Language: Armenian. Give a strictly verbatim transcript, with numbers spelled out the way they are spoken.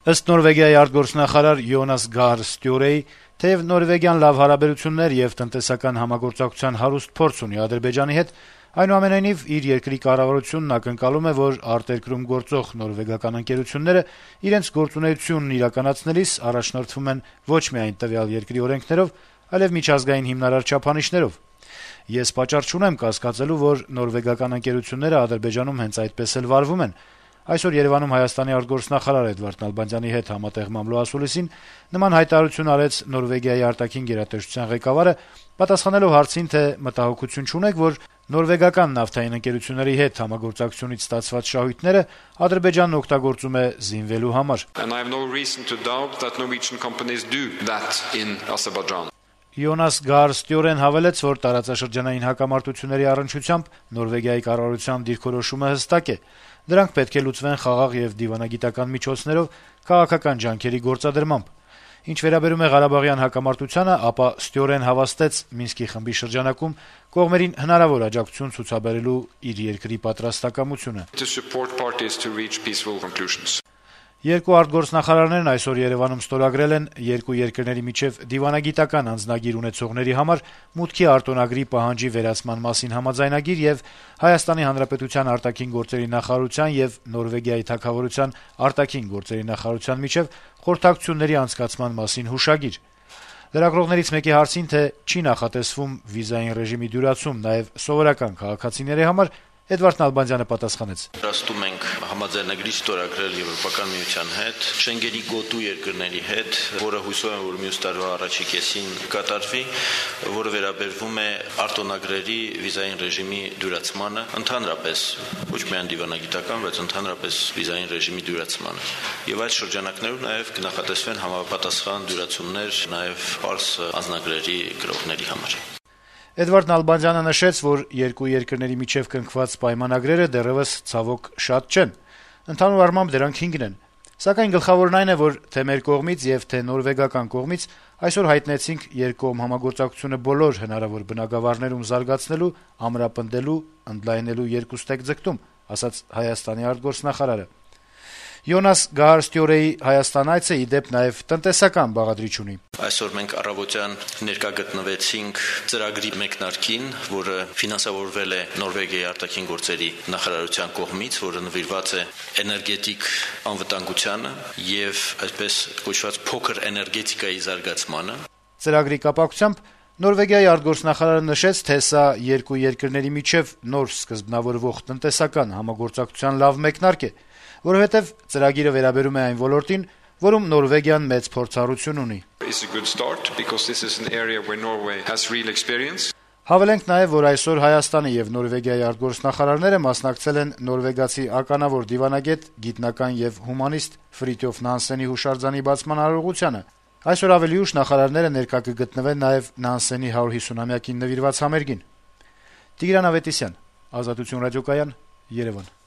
Ըստ Նորվեգիայի արտգործնախարար Յոնաս Գահր Ստյորեի, թեև նորվեգիան լավ հարաբերություններ եւ տնտեսական համագործակցության հարուստ փորձ ունի Ադրբեջանի հետ, այնուամենայնիվ իր երկրի կառավարությունն ակնկալում է, որ արտերկրում գործող նորվեգական ընկերությունները իրենց գործունեությունն իրականացնելիս առաջնորդվում են ոչ միայն տվյալ երկրի օրենքներով, այլև միջազգային հիմնարար չափանիշներով։ Ես պատճառ չունեմ կասկածելու, որ նորվեգական ընկերությունները Ադրբեջանում հենց այդպես էլ վարվում են։ Այսօր Երեւանում Հայաստանի արտգործնախարար Էդվարդ Նալբանդյանի հետ համատեղ մամլոասուլիսին նման հայտարարություն արեց Նորվեգիայի արտաքին գերատեսչության ղեկավարը, պատասխանելով հարցին, թե մտահոգություն չունեք, որ նորվեգական նավթային ընկերությունների հետ համագործակցությունից ստացված շահույթները Ադրբեջանն օգտագործում է զինվելու համար։ Յոնաս Գահր Ստյորեն հավելեց, որ տարածաշրջանային հակամարտությունների առնչությամբ Նորվեգիայի կառավարության դիրքորոշումը հստակ է։ Դրանք պետք է լուծվեն խաղաղ եւ դիվանագիտական միջոցներով, քաղաքական ջանքերի գործադրմամբ։ Ինչ վերաբերում է Ղարաբաղյան հակամարտությանը, ապա Ստյորեն հավաստեց Մինսկի խմբի շրջանակում կողմերին հնարավոր աջակցություն ցուցաբերելու իր երկրի պատրաստակամությունը։ Երկու արտգործնախարարներն այսօր Երեւանում ստորագրել են երկու երկրների միջեւ դիվանագիտական անձնագիր ունեցողների համար մուտքի արտոնագրի պահանջի վերացման մասին համաձայնագիր եւ Հայաստանի Հանրապետության արտաքին գործերի նախարարության եւ Նորվեգիայի թագավորության արտաքին գործերի նախարարության միջեւ խորհրդակցությունների անցկացման մասին հուշագիր։ Լրագրողներից մեկի հարցին, թե չի նախատեսվում վիզային ռեժիմի դյուրացում նաեւ սովորական քաղաքացիների համար, Էդվարդ Նալբանդյանը պատասխանեց. «Պատրաստում ենք համաձայնագրի ստորագրել Եվրոպական միության հետ, Շենգենի գոտու երկրների հետ, որը հույսով եմ, որ մյուս տարվա առաջի կեսին կատարվի, որը վերաբերվում է արտոնագրերի վիզային ռեժիմի դյուրացմանը, ընդհանրապես, ոչ միայն դիվանագիտական, բայց ընդհանրապես վիզային ռեժիմի դյուրացմանը։ Եվ այդ շրջանակներում նաև կնախատեսվեն համապատասխան դյուրացումներ նաև պարզ անձնագրերի գրողների համար»։ Էդվարդ Նալբանդյանը նշեց, որ երկու երկրների միջեւ կնքված պայմանագրերը դեռեւս ցավոք շատ չեն։ Ընդհանուր առմամբ դրանք հինգն են։ Սակայն գլխավորն այն է, որ թե մեր կողմից եւ թե նորվեգական կողմից այսօր հայտնեցինք երկկողմ համագործակցությունը բոլոր հնարավոր բնագավառներում զարգացնելու, ամրապնդելու, ընդլայնելու երկուստեք ձգտում, ասաց Հայաստանի արտգործնախարարը։ Յոնաս Գահր Ստյորեի Հայաստան այցը ի դեպ նաեւ տնտեսական բաղադրիչ ունի։ Այսօր մենք առավոտյան ներկա գտնվեցինք ծրագրի մեկնարկին, որը ֆինանսավորվել է Նորվեգիայի արտաքին գործերի նախարարության կողմից, որը նվիրված է էներգետիկ անվտանգությանը եւ այսպես կոչված փոքր էներգետիկայի զարգացմանը։ Ծրագրի կապակցությամբ Նորվեգիայի արտգործնախարարը նշեց, թե սա երկու երկրների միջեւ նոր սկզբնավորվող տնտեսական համագործակցության լավ մեկնարկ է, որովհետեւ ծրագիրը վերաբերում է այն ոլորտին, որում Նորվեգիան մեծ փորձառություն ունի։ Հավելենք նաեւ, որ այսօր Հայաստանի եւ Նորվեգիայի արտգործնախարարները մասնակցել են նորվեգացի ականավոր դիվանագետ, գիտնական եւ հումանիստ Ֆրիտյոֆ Նանսենի հուշարձանի բացման արարողությանը։ Այսօր ավելի ուշ նախարարները ներկա կգտնվեն նաեւ Նանսենի հարյուր հիսունամյակին նվիրված համերգին։ Տիգրան Ավետիսյան, Ազատություն ռադիոկայան, Երևան։